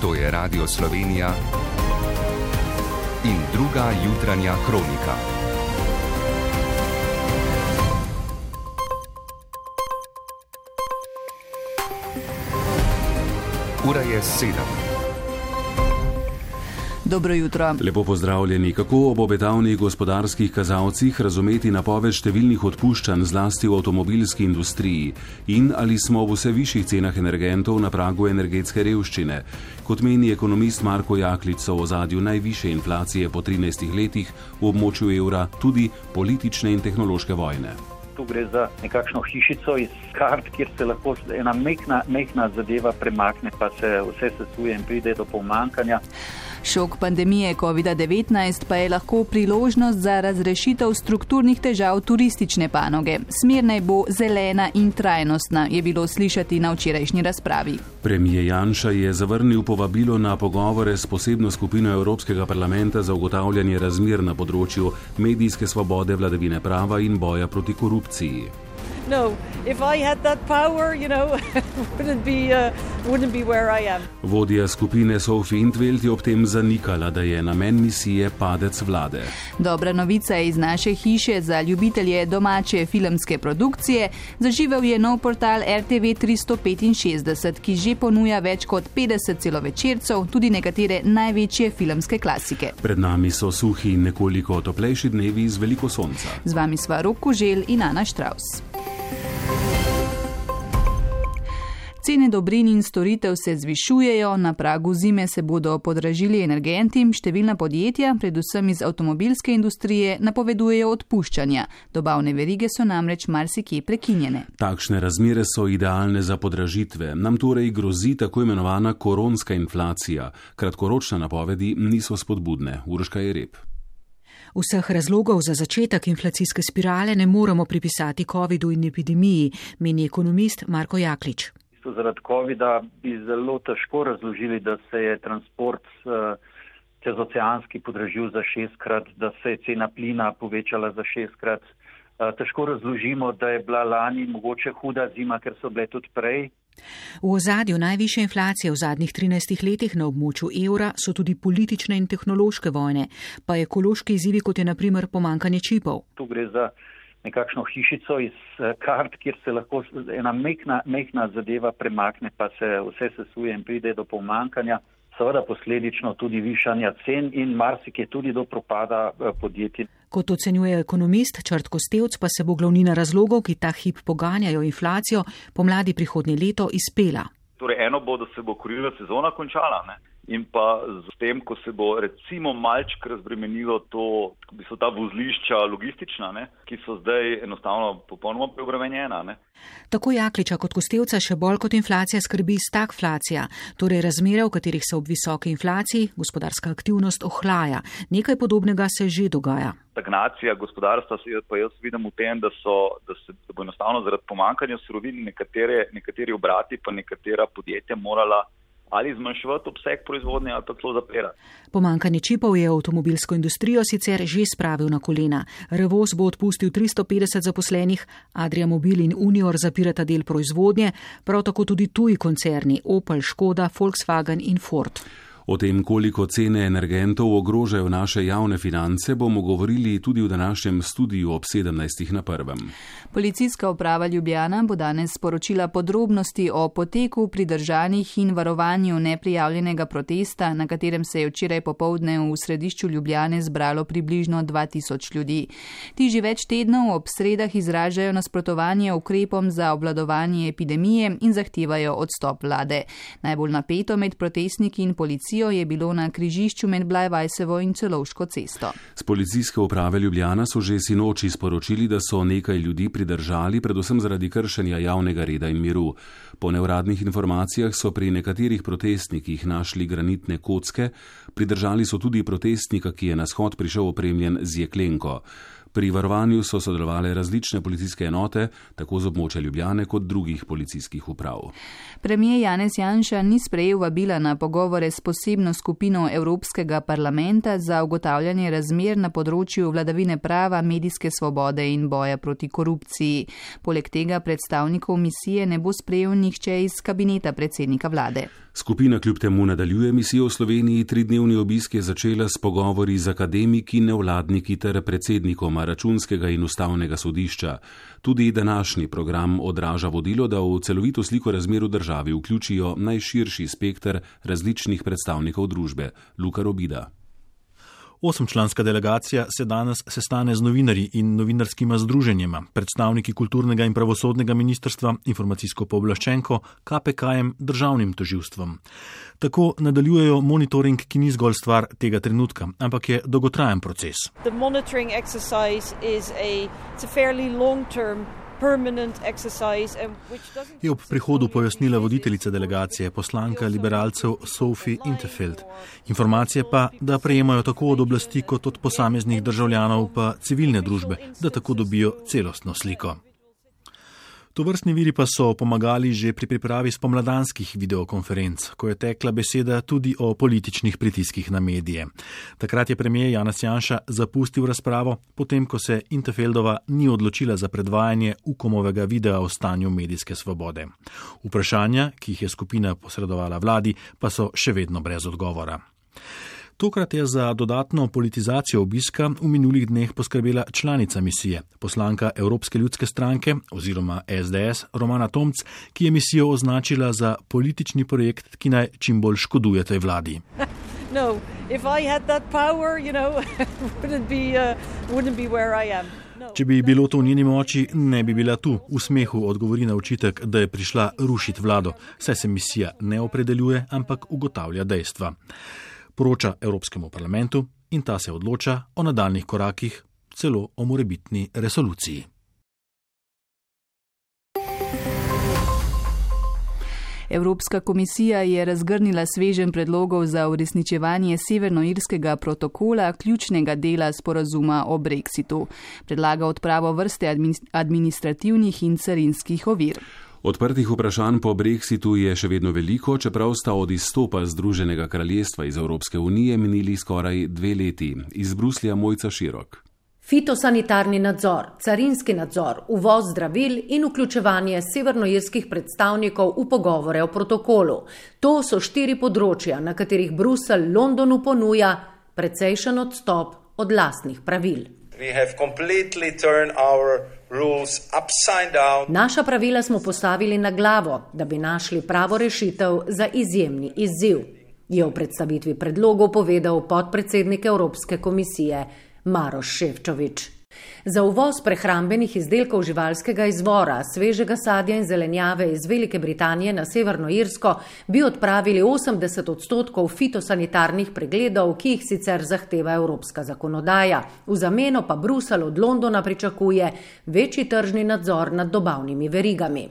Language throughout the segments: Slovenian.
To je Radio Slovenija in druga jutranja kronika. Ura je 7. Dobro jutro. Lepo pozdravljeni. Kako ob obetavnih gospodarskih kazalcih razumeti napoved številnih odpuščanj zlasti v avtomobilski industriji in ali smo v vse višjih cenah energentov na pragu energetske revščine? Kot meni ekonomist Marko Jaklič, so v ozadju najvišje inflacije po 13 letih v območju evra tudi politične in tehnološke vojne. Tu gre za nekakšno hišico iz kart, kjer se lahko ena mehna zadeva premakne, pa se vse sesuje in pride do pomanjkanja. Šok pandemije COVID-19 pa je lahko priložnost za razrešitev strukturnih težav turistične panoge. Smer naj bo zelena in trajnostna, je bilo slišati na včerajšnji razpravi. Premijer Janša je zavrnil povabilo na pogovore s posebno skupino Evropskega parlamenta za ugotavljanje razmer na področju medijske svobode, vladavine prava in boja proti korupciji. No, if I had that power, wouldn't be where I am. Vodja skupine Sophie Intveld je ob tem zanikala, da je namen misije padec vlade. Dobra novica iz naše hiše za ljubitelje domače filmske produkcije. Zaživel je nov portal RTV 365, ki že ponuja več kot 50 celovečercev, tudi nekatere največje filmske klasike. Pred nami so suhi in nekoliko toplejši dnevi z veliko sonca. Z vami sva Rok Koželj in Ana Štravs. Cene dobrin in storitev se zvišujejo, na pragu zime se bodo podražili energenti, številna podjetja, predvsem iz avtomobilske industrije, napovedujejo odpuščanja. Dobavne verige so namreč marsikje prekinjene. Takšne razmere so idealne za podražitve. Nam torej grozi tako imenovana koronska inflacija. Kratkoročne napovedi niso spodbudne. Urška Jereb. Vseh razlogov za začetek inflacijske spirale ne moremo pripisati covidu in epidemiji, meni ekonomist Marko Jaklič. Zaradi covida bi zelo težko razložili, da se je transport čezoceanski podražil za 6-krat, da se je cena plina povečala za 6-krat. Težko razložimo, da je bila lani mogoče huda zima, ker so bile tudi prej. V ozadju najvišje inflacije v zadnjih 13 letih na območju evra so tudi politične in tehnološke vojne, pa ekološki izzivi, kot je na primer pomanjkanje čipov. Tu gre za nekakšno hišico iz kart, kjer se lahko ena mehna zadeva premakne, pa se vse sesuje in pride do pomanjkanja. Seveda posledično tudi višanja cen in marsikje tudi do propada podjetij. Kot ocenjuje ekonomist Črt Kostevc, pa se bo glavnina razlogov, ki ta hip poganjajo inflacijo, pomladi prihodnje leto izpela. Torej eno bo, da se bo kurilna sezona končala, ne? In pa z tem, ko se bo recimo malček razbremenilo ta vozlišča logistična, ne? Ki so zdaj enostavno popolnoma preobremenjena. Ne? Tako Jakliča kot Kostevca še bolj kot inflacija skrbi stagflacija, torej razmere, v katerih se ob visoki inflaciji gospodarska aktivnost ohlaja. Nekaj podobnega se že dogaja. Stagnacija gospodarstva pa jaz vidim v tem, da bo enostavno zaradi pomanjkanja surovin nekateri obrati pa nekatera podjetja morala ali zmanjševati obseg proizvodnje ali pa celo zapirati. Pomanjkanje čipov je avtomobilsko industrijo sicer že spravil na kolena. Revoz bo odpustil 350 zaposlenih, Adria Mobil in Unior zapirata del proizvodnje, prav tako tudi tuji koncerni Opel, Škoda, Volkswagen in Ford. O tem, koliko cene energentov ogrožajo naše javne finance, bomo govorili tudi v današnjem studiu ob 17:01. Policijska uprava Ljubljana bo danes sporočila podrobnosti o poteku pridržanih in varovanju neprijavljenega protesta, na katerem se je včeraj popoldne v središču Ljubljane zbralo približno 2000 ljudi. Ti že več tednov ob sredah izražajo nasprotovanje ukrepom za obvladovanje epidemije in zahtevajo odstop vlade. Najbolj napeto med protestniki in policijo je bilo na križišču med Blajvajsevo in Celovško cesto. Z policijske uprave Ljubljana so že sinoči sporočili, da so nekaj ljudi pridržali, predvsem zaradi kršenja javnega reda in miru. Po neuradnih informacijah so pri nekaterih protestnikih našli granitne kocke, pridržali so tudi protestnika, ki je na shod prišel opremljen z jeklenko. Pri varovanju so sodelovale različne policijske enote, tako z območja Ljubljane kot drugih policijskih uprav. Premijer Janez Janša ni sprejel vabila na pogovore s posebno skupino Evropskega parlamenta za ugotavljanje razmer na področju vladavine prava, medijske svobode in boja proti korupciji. Poleg tega predstavnikov misije ne bo sprejel nihče iz kabineta predsednika vlade. Skupina kljub temu nadaljuje misijo v Sloveniji. 3-dnevni obisk je začela s pogovori z akademiki, nevladniki ter predsednikoma Računskega in Ustavnega sodišča. Tudi današnji program odraža vodilo, da v celovito sliko razmer v državi vključijo najširši spekter različnih predstavnikov družbe. Luka Robida. 8-članska delegacija se danes sestane z novinarji in novinarskima združenjema, predstavniki kulturnega in pravosodnega ministrstva, informacijsko pooblaščenko, KPK-jem, državnim tožilstvom. Tako nadaljujejo monitoring, ki ni zgolj stvar tega trenutka, ampak je dolgotrajen proces. The monitoring exercise is it's a fairly long-term permanent exercise which doesn't... Je ob prihodu pojasnila voditeljica delegacije, poslanka liberalcev Sophie Interfeld. Informacije pa, da prejemajo tako od oblasti kot od posameznih državljanov pa civilne družbe, da tako dobijo celostno sliko. Tovrstni viri pa so pomagali že pri pripravi spomladanskih videokonferenc, ko je tekla beseda tudi o političnih pritiskih na medije. Takrat je premier Janez Janša zapustil razpravo, potem ko se Interfeldova ni odločila za predvajanje Ukomovega videa o stanju medijske svobode. Vprašanja, ki jih je skupina posredovala vladi, pa so še vedno brez odgovora. Tokrat je za dodatno politizacijo obiska v minulih dneh poskrbela članica misije, poslanka Evropske ljudske stranke oziroma SDS Romana Tomc, ki je misijo označila za politični projekt, ki naj čim bolj škoduje tej vladi. No, if I had that power, wouldn't be where I am. No. Če bi bilo to v njeni moči, ne bi bila tu. V smehu odgovori na očitek, da je prišla rušiti vlado, saj se misija ne opredeljuje, ampak ugotavlja dejstva. Poroča Evropskemu parlamentu in ta se odloča o nadaljnih korakih, celo o morebitni resoluciji. Evropska komisija je razgrnila sveženj predlogov za uresničevanje severnoirskega protokola, ključnega dela sporazuma o brexitu. Predlaga odpravo vrste administrativnih in carinskih ovir. Odprtih vprašanj po brexitu je še vedno veliko, čeprav sta od izstopa Združenega kraljestva iz Evropske unije minili skoraj 2 leti. Iz Bruslja Mojca Širok. Fitosanitarni nadzor, carinski nadzor, uvoz zdravil in vključevanje severnoirskih predstavnikov v pogovore o protokolu. To so 4 področja, na katerih Bruselj Londonu ponuja precejšen odstop od lastnih pravil. Naša pravila smo postavili na glavo, da bi našli pravo rešitev za izjemni izziv, je v predstavitvi predlogov povedal podpredsednik Evropske komisije Maroš Šefčovič. Za uvoz prehrambenih izdelkov živalskega izvora, svežega sadja in zelenjave iz Velike Britanije na Severno Irsko bi odpravili 80% fitosanitarnih pregledov, ki jih sicer zahteva evropska zakonodaja. V zameno pa Bruselj od Londona pričakuje večji tržni nadzor nad dobavnimi verigami.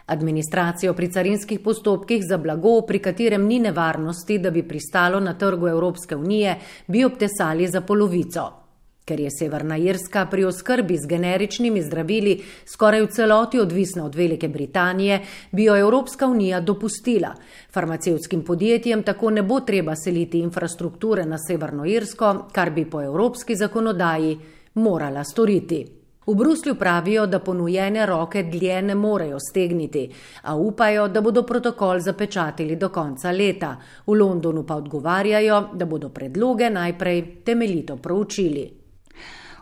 Administracijo pri carinskih postopkih za blago, pri katerem ni nevarnosti, da bi pristalo na trgu Evropske unije, bi obtesali za polovico. Ker je Severna Irska pri oskrbi z generičnimi zdravili skoraj v celoti odvisna od Velike Britanije, bi jo Evropska unija dopustila. Farmacevtskim podjetjem tako ne bo treba seliti infrastrukture na Severno Irsko, kar bi po evropski zakonodaji morala storiti. V Bruslju pravijo, da ponujene roke dlje ne morejo stegniti, a upajo, da bodo protokol zapečatili do konca leta. V Londonu pa odgovarjajo, da bodo predloge najprej temeljito proučili.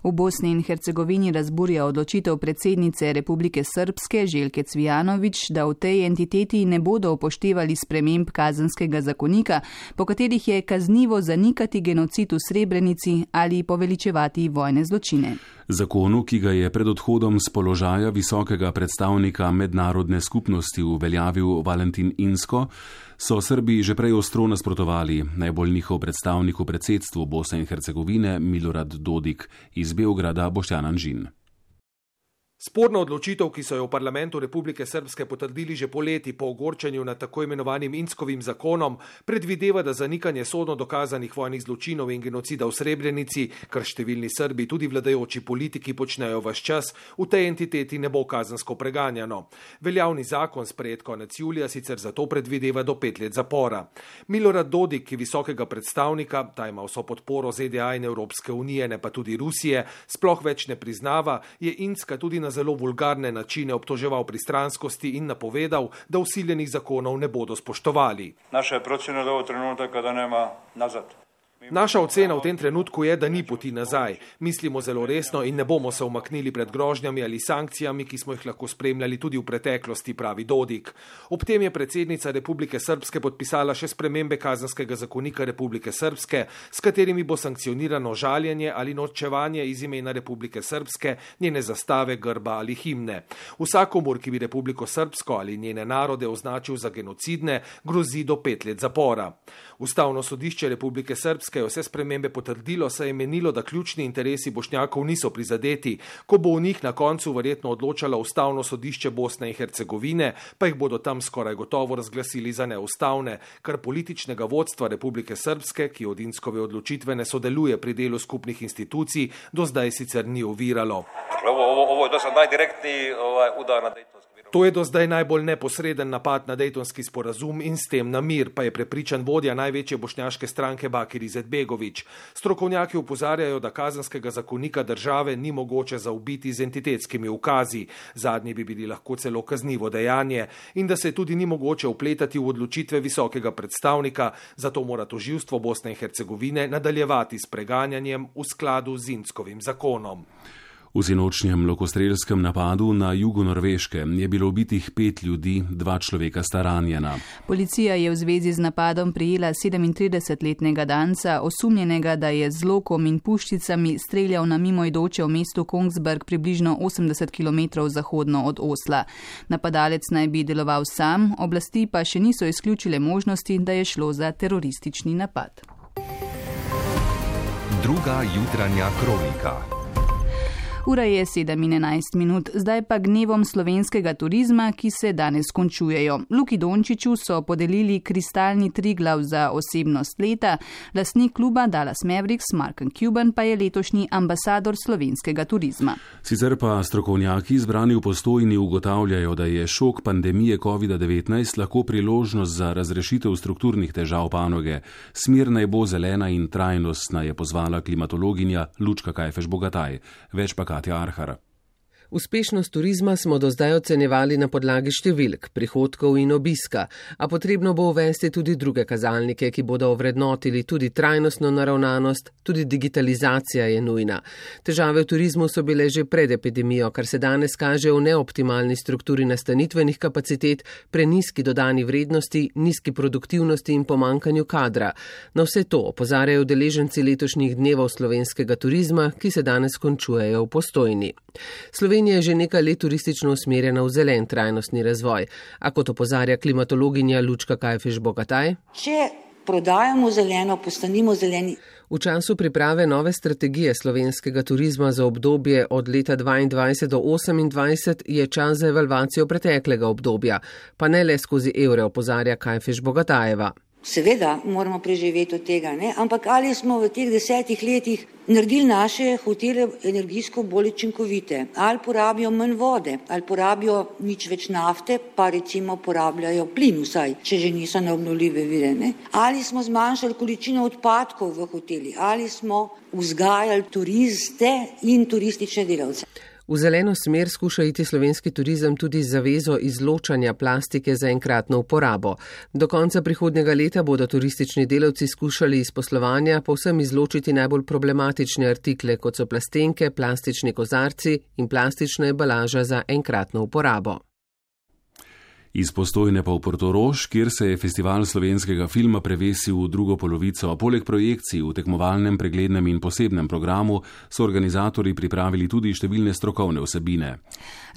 V Bosni in Hercegovini razburja odločitev predsednice Republike Srpske Željke Cvijanović, da v tej entiteti ne bodo upoštevali sprememb kazenskega zakonika, po katerih je kaznivo zanikati genocid v Srebrenici ali poveličevati vojne zločine. Zakonu, ki ga je pred odhodom z položaja visokega predstavnika mednarodne skupnosti uveljavil Valentin Inzko, so Srbi že prej ostro nasprotovali. Najbolj njihov predstavnik v predsedstvu Bosne in Hercegovine Milorad Dodik, iz Beograda Boštjan Anžin. Sporna odločitev, ki so jo v parlamentu Republike Srpske potrdili že poleti po ogorčenju nad tako imenovanim Inzkovim zakonom, predvideva, da zanikanje sodno dokazanih vojnih zločinov in genocida v Srebrenici, kar številni Srbi, tudi vladajoči politiki, počnejo ves čas, v tej entiteti ne bo kazensko preganjano. Veljavni zakon sprejet konec julija sicer zato predvideva do 5 let zapora. Milorad Dodik, ki visokega predstavnika, ta ima vso podporo ZDA in Evropske unije, ne pa tudi Rusije, sploh več ne priznava, je Inzka tudi na na zelo vulgarne načine obtoževal pristranskosti in napovedal, da vsiljenih zakonov ne bodo spoštovali. Naša procjena do trenutka kada nema nazad. Naša ocena v tem trenutku je, da ni poti nazaj. Mislimo zelo resno in ne bomo se umaknili pred grožnjami ali sankcijami, ki smo jih lahko spremljali tudi v preteklosti, pravi Dodik. Ob tem je predsednica Republike Srpske podpisala še spremembe Kazenskega zakonika Republike Srpske, s katerimi bo sankcionirano žaljenje ali norčevanje iz imena Republike Srpske, njene zastave, grba ali himne. Vsakomur, ki bi Republiko Srpsko ali njene narode označil za genocidne, grozi do 5 let zapora. Ustavno sodišče Republike Srpske je vse spremembe potrdilo, saj je menilo, da ključni interesi Bošnjakov niso prizadeti. Ko bo v njih na koncu verjetno odločalo Ustavno sodišče Bosne in Hercegovine, pa jih bodo tam skoraj gotovo razglasili za neustavne, kar političnega vodstva Republike Srpske, ki od Inckove odločitve ne sodeluje pri delu skupnih institucij, do zdaj sicer ni oviralo. Ovo je dosad najdirektniji udar na Dejtonski. To je do zdaj najbolj neposreden napad na Dejtonski sporazum in s tem na mir, pa je prepričan vodja največje bošnjaške stranke Bakir Izetbegović. Strokovnjaki opozarjajo, da Kazenskega zakonika države ni mogoče zaobiti z entitetskimi ukazi, zadnji bi bili lahko celo kaznivo dejanje, in da se tudi ni mogoče vpletati v odločitve visokega predstavnika, zato mora tožilstvo Bosne in Hercegovine nadaljevati s preganjanjem v skladu z Inckovim zakonom. V sinočnjem lokostrelskem napadu na jugu Norveške je bilo ubitih 5 ljudi, 2 človeka sta ranjena. Policija je v zvezi z napadom prijela 37-letnega danca, osumljenega, da je z lokom in puščicami streljal na mimoidoče v mestu Kongsberg približno 80 km zahodno od Osla. Napadalec naj bi deloval sam, oblasti pa še niso izključile možnosti, da je šlo za teroristični napad. Druga jutranja kronika. Ura je 7:11, zdaj pa gnevom slovenskega turizma, ki se danes končujejo. Luki Dončiću so podelili kristalni Triglav za osebnost leta, lastnik kluba Dallas Mavericks Mark Cuban pa je letošnji ambasador slovenskega turizma. Sicer pa strokovnjaki zbrani v Postojni ugotavljajo, da je šok pandemije COVID-19 lahko priložnost za razrešitev strukturnih težav panoge. Smer naj bo zelena in trajnostna, je pozvala klimatologinja Lučka Kajfež-Bogataj. Več pa Katja Arhar. Uspešnost turizma smo do zdaj ocenjevali na podlagi številk, prihodkov in obiska, a potrebno bo uvesti tudi druge kazalnike, ki bodo ovrednotili tudi trajnostno naravnanost, tudi digitalizacija je nujna. Težave v turizmu so bile že pred epidemijo, kar se danes kaže v neoptimalni strukturi nastanitvenih kapacitet, prenizki dodani vrednosti, nizki produktivnosti in pomankanju kadra. Na vse to opozarjajo udeleženci letošnjih dnevov slovenskega turizma, ki se danes končujejo v Postojni. Slovenija je že nekaj let turistično usmerjena v zelen trajnostni razvoj, a kot opozarja klimatologinja Lučka Kajfež-Bogataj, če prodajamo zeleno, postanimo zeleni. V času priprave nove strategije slovenskega turizma za obdobje od leta 2022 do 2028 je čas za evalvacijo preteklega obdobja, pa ne le skozi evre, opozarja Kajfež-Bogatajeva. Seveda moramo preživeti od tega, ne? Ampak ali smo v teh 10 letih naredili naše hotele energijsko bolj učinkovite, ali porabijo manj vode, ali porabijo nič več nafte, pa recimo porabljajo plin vsaj, če že niso na obnovljive vire, ne? Ali smo zmanjšali količino odpadkov v hoteli, ali smo vzgajali turiste in turistične delavce. V zeleno smer skuša iti slovenski turizem tudi z zavezo izločanja plastike za enkratno uporabo. Do konca prihodnjega leta bodo turistični delavci skušali iz poslovanja povsem izločiti najbolj problematične artikle, kot so plastenke, plastični kozarci in plastična embalaža za enkratno uporabo. Iz Postojne pa v Portorož, kjer se je festival slovenskega filma prevesil v drugo polovico. Poleg projekcij v tekmovalnem, preglednem in posebnem programu so organizatorji pripravili tudi številne strokovne vsebine.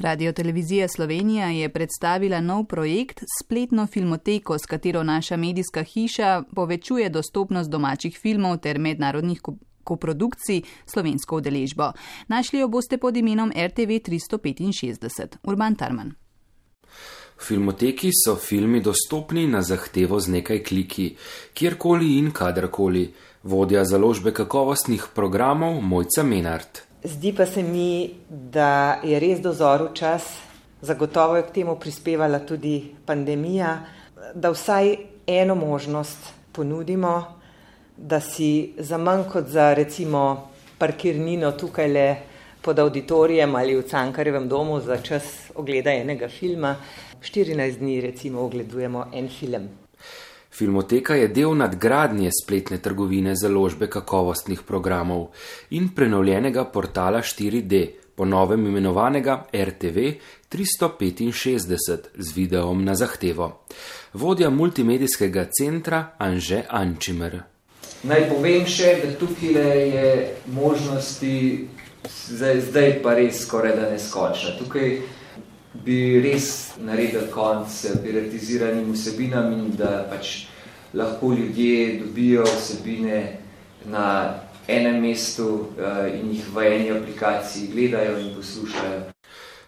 Radiotelevizija Slovenija je predstavila nov projekt, spletno filmoteko, s katero naša medijska hiša povečuje dostopnost domačih filmov ter mednarodnih koprodukcij slovensko udeležbo. Našli jo boste pod imenom RTV 365. Urban Tarman. V filmoteki so filmi dostopni na zahtevo z nekaj kliki, kjerkoli in kadarkoli. Vodja založbe kakovostnih programov Mojca Menard. Zdi pa se mi, da je res dozorel čas, zagotovo je k temu prispevala tudi pandemija, da vsaj eno možnost ponudimo, da si za manj kot za recimo parkirnino tukajle pod auditorijem ali v Cankarjevem domu za čas ogleda enega filma. 14 dni recimo ogledujemo en film. Filmoteka je del nadgradnje spletne trgovine založbe kakovostnih programov in prenovljenega portala 4D, po novem imenovanega RTV 365 z videom na zahtevo. Vodja multimedijskega centra Anže Ančimer. Naj povem še, da tukaj je možnosti zdaj pa res skoraj da neskočna. Tukaj bi res naredil konc piratiziranim vsebinam in da pač lahko ljudje dobijo vsebine na enem mestu in jih v eni aplikaciji gledajo in poslušajo.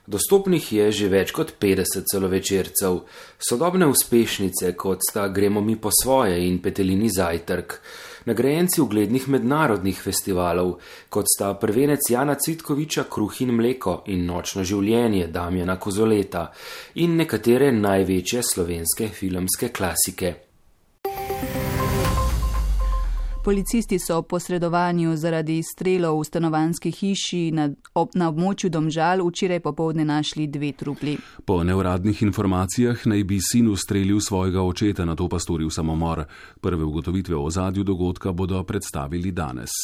Dostopnih je že več kot 50 celovečercev, sodobne uspešnice, kot sta Gremo mi po svoje in Petelini zajtrk, nagrajenci uglednih mednarodnih festivalov, kot sta prvenec Jana Cvitkoviča Kruh in mleko in Nočno življenje Damjana Kozoleta in nekatere največje slovenske filmske klasike. Policisti so po posredovanju zaradi strelov v stanovanjski hiši na območju Domžal včeraj popoldne našli 2 trupli. Po neuradnih informacijah naj bi sin ustrelil svojega očeta, nato pa storil samomor. Prve ugotovitve o ozadju dogodka bodo predstavili danes.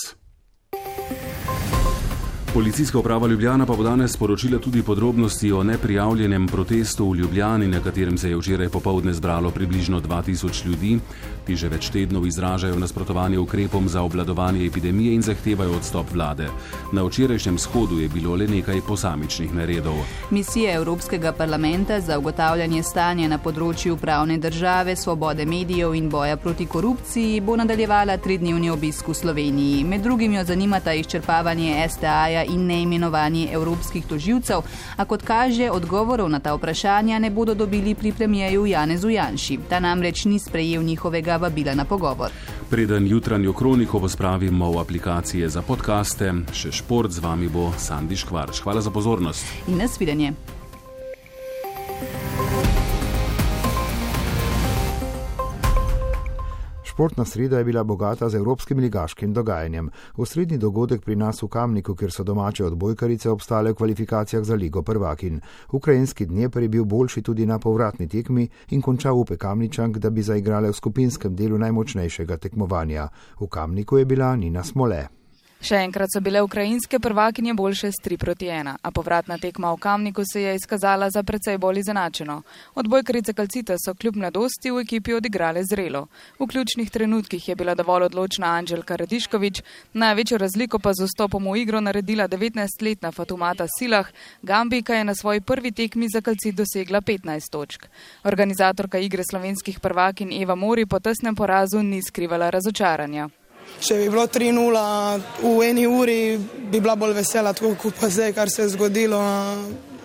Policijska uprava Ljubljana pa bo danes sporočila tudi podrobnosti o neprijavljenem protestu v Ljubljani, na katerem se je včeraj popoldne zbralo približno 2000 ljudi. Ti že več tednov izražajo nasprotovanje ukrepom za obvladovanje epidemije in zahtevajo odstop vlade. Na včerajšnjem shodu je bilo le nekaj posamičnih neredov. Misija Evropskega parlamenta za ugotavljanje stanja na področju pravne države, svobode medijev in boja proti korupciji bo nadaljevala 3-dnevni obisk v Sloveniji. Med drugim jo zanimata izčrpavanje STA in neimenovanje evropskih tožilcev, a kot kaže, odgovorov na ta vprašanja ne bodo dobili pri premijeju Janezu Janši. Ta namreč ni sprejel njihovega vabila na pogovor. Preden jutranjo kroniko pospravimo v aplikacije za podcaste, še šport, z vami bo Sandi Škvarč. Hvala za pozornost. In nasvidenje. Športna sreda je bila bogata z evropskim ligaškim dogajanjem. Osrednji dogodek pri nas v Kamniku, kjer so domače odbojkarice obstale v kvalifikacijah za Ligo prvakinj. Ukrajinski Dnepr je bil boljši tudi na povratni tekmi in končal upe Kamničank, da bi zaigrale v skupinskem delu najmočnejšega tekmovanja. V Kamniku je bila Nina Smole. Še enkrat so bile ukrajinske prvakinje boljše s 3-1, a povratna tekma v Kamniku se je izkazala za precej bolj izenačeno. Odbojkarice Calcita so kljub mladosti v ekipi odigrale zrelo. V ključnih trenutkih je bila dovolj odločna Anđelka Radišković, največjo razliko pa z vstopom v igro naredila 19-letna Fatumata Silah, Gambijka je na svoji prvi tekmi za Calcit dosegla 15 točk. Organizatorka igre slovenskih prvakinj Eva Mori po tesnem porazu ni skrivala razočaranja. Če bi bilo 3-0 v eni uri, bi bila bolj vesela, tako kot pa zdaj, kar se je zgodilo.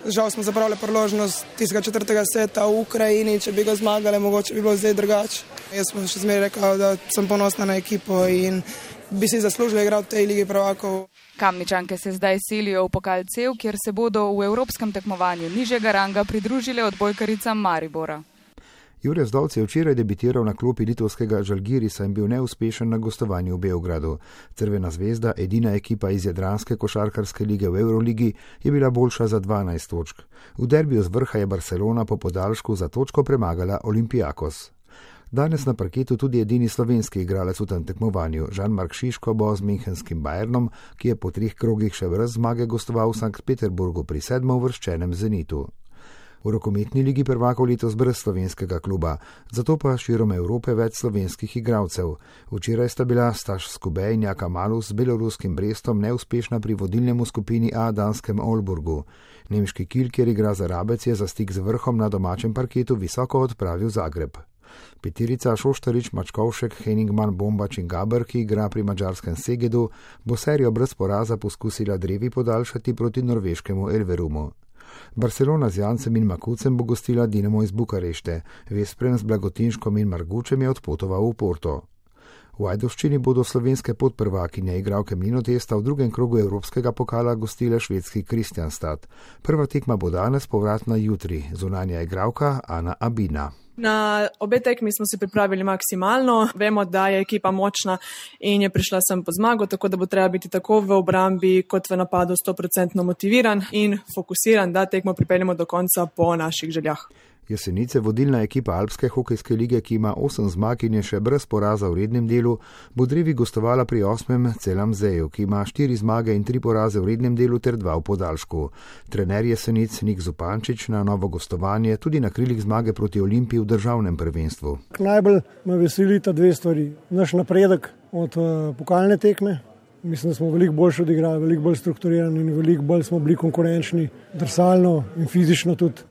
Žal smo zapravili priložnost tistega 4. seta v Ukrajini, če bi ga zmagali, mogoče bi bilo zdaj drugače. Jaz sem še zmeraj rekel, da sem ponosna na ekipo in bi si zaslužila igrati v tej Ligi prvakov. Kamničanke se zdaj selijo v pokal CEV, kjer se bodo v evropskem tekmovanju nižjega ranga pridružile odbojkaricam Maribora. Jure Zdovc je včeraj debitiral na klopi litovskega Žalgirisa in bil neuspešen na gostovanju v Beogradu. Crvena zvezda, edina ekipa iz jadranske košarkarske lige v Euroligi, je bila boljša za 12 točk. V derbiju z vrha je Barcelona po podaljšku za točko premagala Olympiakos. Danes na parketu tudi edini slovenski igralec v tem tekmovanju. Žan-Mark Šiško bo z Münchenskim Bayernom, ki je po 3 krogih še brez zmage gostoval v Sankt Peterburgu pri 7. uvrščenem Zenitu. V rokometni ligi prvakov letos brez slovenskega kluba, zato pa širom Evrope več slovenskih igralcev. Včeraj sta bila Staš Skube in Jaka Malus z beloruskim Brestom neuspešna pri vodilnem v skupini A danskem Olburgu. Nemški Kiel, kjer igra za Rabec, je za stik z vrhom na domačem parketu visoko odpravil Zagreb. Peterica Šoštarič, Mačkovšek, Henningman, Bombač in Gaber, ki igra pri madžarskem Segedu, bo serijo brez poraza poskusila drevi podaljšati proti norveškemu Elverumu. Barcelona z Jancem in Makucem bo gostila Dinamo iz Bukarešte, Veszprem z Blagotinškom in Margučem je odpotoval v Porto. V Ajdovščini bodo slovenske podprvakinje igralke Mlinotesta v drugem krogu evropskega pokala gostile švedski Kristianstad. Prva tekma bo danes, povratna jutri, zunanja igralka Ana Abina. Na obe tekmi smo se pripravili maksimalno. Vemo, da je ekipa močna in je prišla sem po zmago, tako da bo treba biti tako v obrambi kot v napadu 100% motiviran in fokusiran, da tekmo pripeljemo do konca po naših željah. Jesenice, vodilna ekipa Alpske hokejske lige, ki ima 8 zmag in je še brez poraza v rednem delu, bo drevi gostovala pri 8. Celamzeju, ki ima 4 zmage in 3 poraze v rednem delu ter 2 v podaljšku. Trener Jesenic Nik Zupančič na novo gostovanje tudi na krilih zmage proti Olimpiji v državnem prvenstvu. Najbolj me veselita 2 stvari. Naš napredek od pokalne tekme. Mislim, da smo veliko boljše odigrali, veliko bolj strukturirani in veliko bolj smo bili konkurenčni, drsalno in fizično tudi.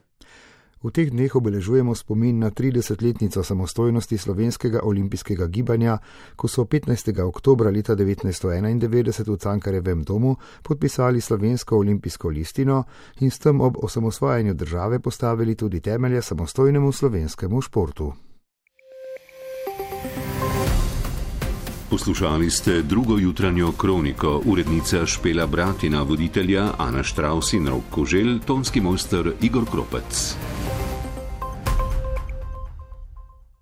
V teh dneh obeležujemo spomin na 30-letnico samostojnosti slovenskega olimpijskega gibanja, ko so 15. oktobra leta 1991 v Cankarjevem domu podpisali slovensko olimpijsko listino in s tem ob osamosvajanju države postavili tudi temelje samostojnemu slovenskemu športu. Poslušali ste drugo jutranjo kroniko, urednica Špela Bratina, voditelja Ana Štravs in Rok Koželj, tonski mojster Igor Kropec.